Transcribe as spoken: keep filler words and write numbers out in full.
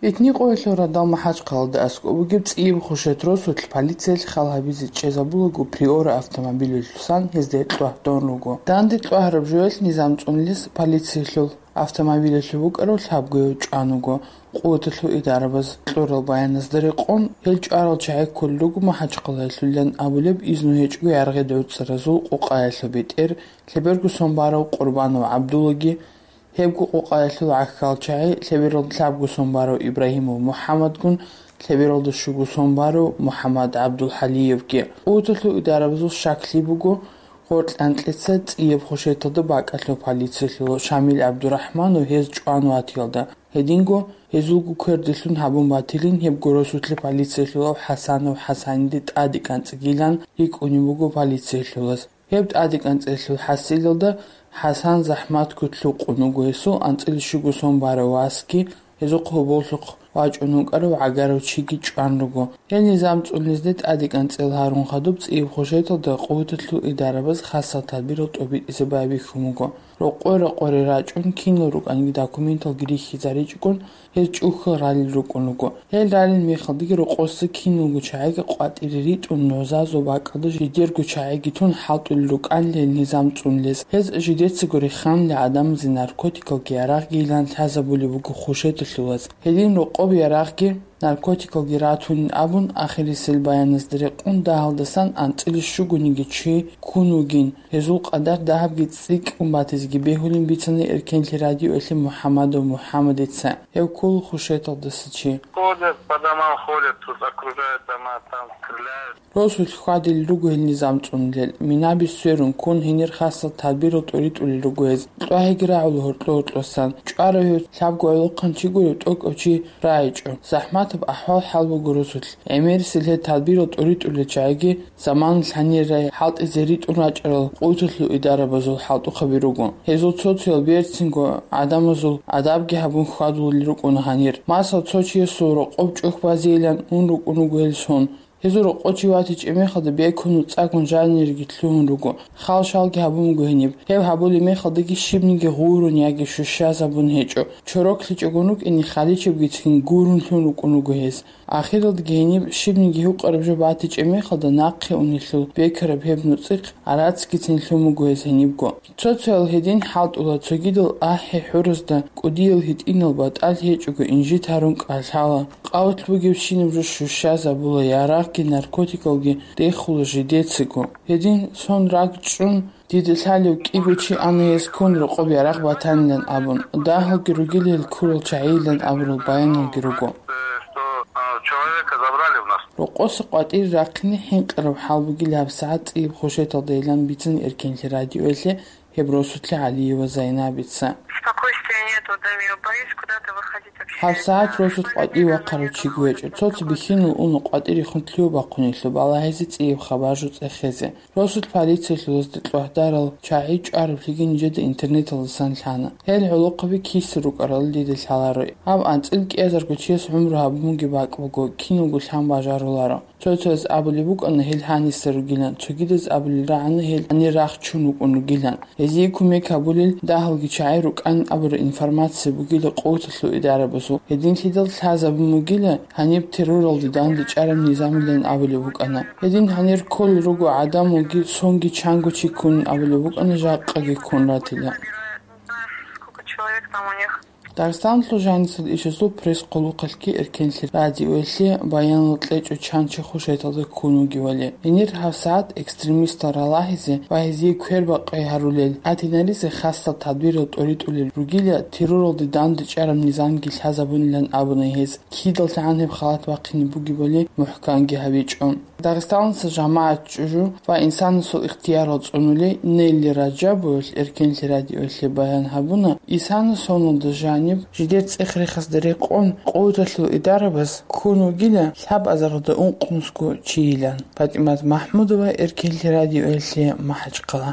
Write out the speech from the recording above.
Этникъоялъул радал МахӀачхъалада аскӀоб бугеб ЦӀияб Хушет росулъ полициялъ хал гьабизе чӀезабулаго Приора автомобилалъусан гьезда кьвагьдон руго. Данде кьвагьараб жоялъ низам цӀунулес полициялъул автомобилалъув букӀарав лъабгояв чӀван вуго. Къуваталъул идарабаз кьурал баяназда рекъон, гьел чӀварал чагӀи кколел руго МахӀачхъалаялъулилан абулеб изну гьечӀого яргъи гӀуцӀаразул къукъаялъул бетӀер, лъеберго сон барав Къурбанов ГӀабдуллаги, гьебго къукъаялъул гӀахьал чагӀи, лъебералда лъабго сон барав Ибрагьимов МухӀаммадгун, лъебералда щуго сон барав МухӀаммад ГӀабдулхӀалиевги. Къуваталъул идарабазул щаклъи буго, гъоркь анкьица ЦӀияб Хушеталда бакӀалъув полициялъулав Шамил ГӀабдурахӀманов гьез чӀван ватиялда. Гьединго, гьезулго квердилъун гьабун батилин гьебго росулъе полициялъулав ХӀасанов ХӀасаниде тӀаде кӀанцӀигилан рикӀкӀунеб буго полициялъулаз. Гьеб тӀаде кӀанцӀелъул хӀасилалда ХӀасан захӀматго лъукъун вуго гьесул анцӀила щуго сон барав васги, гьезухъ гьоболлъухъ вачӀун вукӀарав гӀагарав чиги чӀван руго. Гьел низам цӀунезде тӀаде кӀанцӀел гьарун хадуб ЦӀияб Хушеталда къуваталъул идарабаз хасал тадбирал тӀобитӀизе байбихьун буго. Рокъой-рокъоре рачӀун, кинал рукӀанги документалги рихьизаричӀогун, гьез чӀухьал ралел рукӀун руго. Гьел ралел мехалдаги рокъоса киналго чагӀиги къватӀире ритӀун, нугӀзазул бакӀалда жидерго чагӀиги тун хӀалтӀулел рукӀанилан низам цӀунулес. Гьез жидецаго реханлъи гӀадамазе наркотикалги ярагъгийилан лъазабулеб буго Хушеталъулаз. Гьедин рокъоб ярагъги наркотикалги ратунин абун, ахирисел баяназда рекъон, дагьалдасан анцӀила щугониги чи ккун вугин, гьезул къадар дагьабги цӀикӀкӀун батизеги бегьулин бицана Эркенлъи радиоялъе МухӀаммадов МухӀаммадица. Гьев ккола Хушеталдаса чи. Ходят по домам, ходят, тут окружают дома, там стреляют. Росулъ хьвадилел руго гьел низам цӀунулел. Минаби сверун ккун, гьенир хасал тадбирал тӀоритӀулел руго гьез. КьвагӀиги рагӀула гьоркьо-гьоркьосан. ЧӀварав гьев лъабго гӀолохъанчи гурев тӀокӀав чи рагӀичӀо. ЗахӀматаб ахӀвал-хӀал буго росулъ. ГӀемерисел гьел тадбирал тӀоритӀулел чагӀиги заманалъ гьанир рай хӀалтӀизе ритӀун рачӀарал къуваталъул идарабазул хӀалтӀухъаби руго. Гьезул цо-цоял берцинго гӀадамазул адабги гьабун хьвадулел рукӀуна гьанир. Масал, цо чиясул рокъоб чӀухь базейилан ун рукӀун вуго гьел сон. Гьезул рокъов чи ватичӀеб мехалда бекун нуцӀагун жаниреги лъугьун руго. Хал-шалги гьабун буго гьениб. Гьеб гьабулеб мехалдаги щибниги гъурун яги щущазабун гьечӀо. ЧороклъичӀогун рукӀине халичебгицин гурун лъун рукӀун руго гьез. Ахиралдаги гьениб щибниги гьукъараб жо батичӀеб мехалда нахъе унелъул бекараб гьеб нуцӀихъ гӀарацгицин лъун буго гьез гьенибго. Цо-цоял гьедин хӀалтӀула, цогидал ахӀи-хӀуразда кӀудиял гьитӀинал батӀал гьечӀого инжит гьарун кӀалъала. Къават бугебщинаб жо щущазабула, ярагъги наркотикалги рехула жидецаго. Гьедин сон ракӀчӀун, дида лъалев кӀиго чи ана гьез ккун рокъоб ярагъ батанилан абун, дагьалги ругила гьел ккурал чагӀийилан абурал баяналги руго. Э, что, а, человека забрали у нас. Рокъоса къватӀире рахъине хӀинкъараб хӀал бугила гьабсагӀат ЦӀияб Хушеталдайилан бицана Эркенлъи радиоялъе гьеб росулъе ГӀалиева Зайнабица. Спокойствия нету в доме, боюсь куда-то выходить вообще. ГьабсагӀат росулъ къватӀиве вахъарав чиги гьечӀо. Цо-цо бихьинал уна къватӀирехун лъугьа-бахъунелъул балагьизе ЦӀияб хабар-жо цӀехезе. Росулъ полициялъулазда кьвагьдарал чагӀи чӀвараблъиги нижеда интернеталдасан лъана. Гьел гӀолохъаби киса рукӀарал дида лъаларо. Гьаб анцӀила кӀиазарго чияс гӀумру гьабун бугеб бакӀ буго, киналго лъан бажаруларо. Цо-цояз абулеб букӀана гьел гьаниса ругилан, цогидаз абулел рагӀана гьел гьанир рахчун вукӀун ругилан. Гьезие кумек гьабулел дагьалги чагӀи рукӀанин абураб информация бугила къуваталъул идарабазул. Гьединлъидал лъазабун бугила гьаниб терроралде дандечӀараб низамилан абулеб букӀана. Гьедин гьанир кколел руго гӀадамалги, сонги чанго чи ккунин абулеб букӀана, жакъаги ккун ратила. Сколько человек там у них? Дагъистаналъул жанисел ишазул пресс-къулухъалъги Эркенлъи радиоялъе баянал кьечӀо чан чи Хушеталда ккун вугевали. Гьенир гьабсагӀат экстремистал ралагьизе ва гьезие квербакъи гьарулел, гӀадинаризе хасал тадбирал тӀоритӀулел ругила, терроралде дандечӀараб низамги лъазабунилан абуна гьез. КидаллъагӀан гьеб халат бахъине бугебали мухӀканги гьабичӀо. Дагъистаналдаса жамагӀат чӀужу ва инсанасул ихтиярал цӀунулей Нелли Раджабовалъ Эркенлъи радиоялъе баян гьабуна, исана соналда жаниб жидер цӀех-рехазда рекъон, къуваталъул идарабаз ккун вугила лъабазаралда ункънусго чийилан. ПатӀимат МахӀмудова, Эркенлъи радиоялъе, МахӀачхъала.